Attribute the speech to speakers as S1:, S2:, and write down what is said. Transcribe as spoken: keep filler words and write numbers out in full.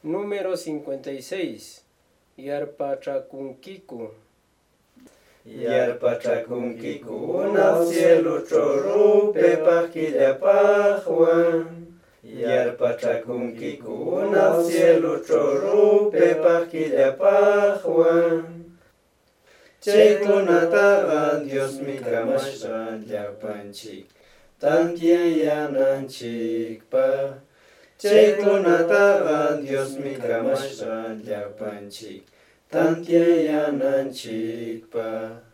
S1: Número cincuenta y seis. Yarpachakunkiku.
S2: Yarpachakunkiku unaq cielućhu rupaypaq killapaqwan. Yarpachakunkiku unaq cielućhu rupaypaq killapaqwan. Chaykunataqa Diosmi kamashqa llapanchik tantiyananchikpaq. Chaykunataqa Diosmi kamashqa llapanchik tantiyananchikpaq.